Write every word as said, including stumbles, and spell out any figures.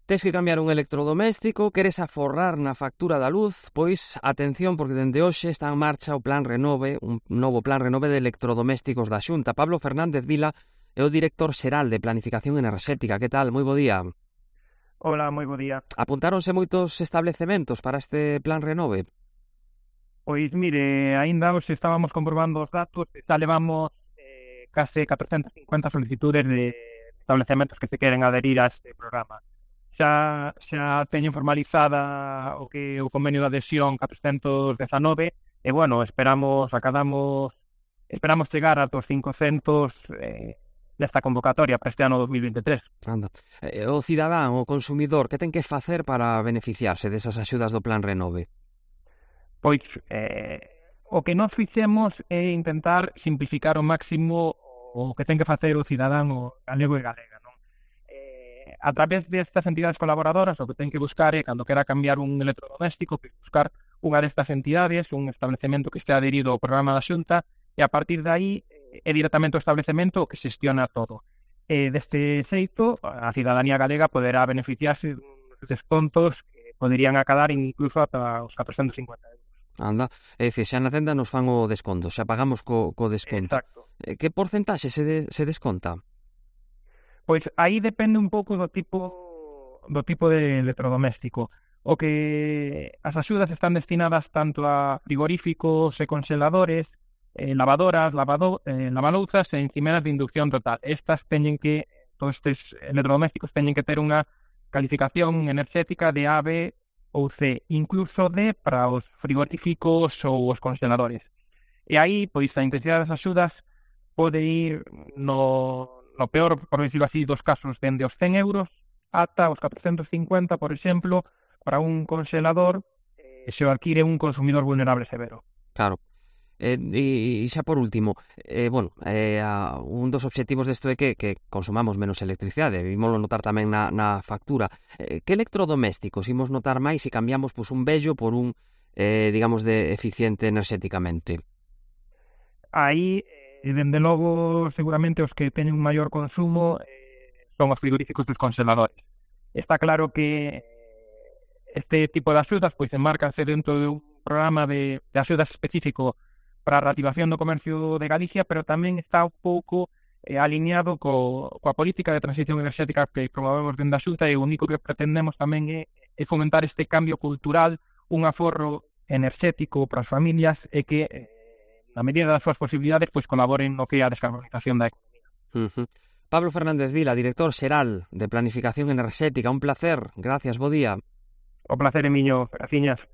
Tes que cambiar un electrodoméstico, queres aforrar na factura da luz, pois atención porque dende hoxe está en marcha o Plan Renove, un novo Plan Renove de electrodomésticos da Xunta. Pablo Fernández Vila é o director xeral de Planificación Enerxética. Que tal? Moi bo día. Hola, moi bo día. Apuntáronse moitos establecementos para este Plan Renove? Pois mire, aínda hoxe estábamos comprobando os datos e xa levamos eh, case catrocentas cincuenta solicitudes de establecementos que se queren adherir a este programa. Xa, xa teñen formalizada o que o convenio de adhesión catrocentos dezanove e, bueno, esperamos, acadamos, esperamos chegar a dos cincocentos eh, desta convocatoria para este ano dos mil veintitrés. Anda. Eh, o cidadán, o consumidor, que ten que facer para beneficiarse desas axudas do Plan Renove? Pois, eh, o que nós fixemos é intentar simplificar ao máximo o que ten que facer o cidadán o galego e galega, non? Eh, a través destas entidades colaboradoras, o que ten que buscar é, cando quera cambiar un electrodoméstico, que buscar unha destas entidades, un establecemento que este adherido ao programa da Xunta, e a partir de aí é directamente o establecemento o que xestiona todo. E deste xeito, a cidadanía galega poderá beneficiarse dos descontos que poderían acadar incluso ata os catrocentos cincuenta euros. Anda, é dicir, xa na tenda nos fan o desconto, xa pagamos co, co desconto. Exacto. Eh, que porcentaxe se, de, se desconta? Pois aí depende un pouco do tipo do tipo de electrodoméstico. O que as axudas están destinadas tanto a frigoríficos e congeladores, eh, lavadoras, lavado, eh, lavalouzas e encimeras de inducción total. Estas teñen que, todos estes electrodomésticos teñen que ter unha calificación enerxética de A, B ou C, incluso D para os frigoríficos ou os congeladores. E aí, pois, a intensidade das axudas pode ir no, no peor, por decirlo así, dos casos, dende os cen euros ata os catrocentos cincuenta, por exemplo, para un congelador eh, se o adquire un consumidor vulnerable severo. Claro. Eh, e, e xa por último, eh, bueno, eh, a, un dos obxectivos desto é que, que consumamos menos electricidade, vimoslo notar tamén na, na factura. Eh, que electrodomésticos imos notar máis se cambiamos pues, un vello por un, eh, digamos, de eficiente enerxéticamente? Aí, eh, dende logo, seguramente os que teñen un maior consumo eh, son os frigoríficos dos congeladores. Está claro que este tipo de axudas pois enmárcanse dentro de un programa de, de axudas específico para a reactivación do comercio de Galicia, pero tamén está un pouco eh, alineado co, coa política de transición enerxética que promovemos dentro da Xunta, e o único que pretendemos tamén é, é fomentar este cambio cultural, un aforro enerxético para as familias e que, eh, na medida das súas posibilidades, pois colaboren no que é a descarbonización da economía. Uh-huh. Pablo Fernández Vila, director xeral de Planificación Enerxética, un placer. Gracias, bo día. O placer é miño, graciñas.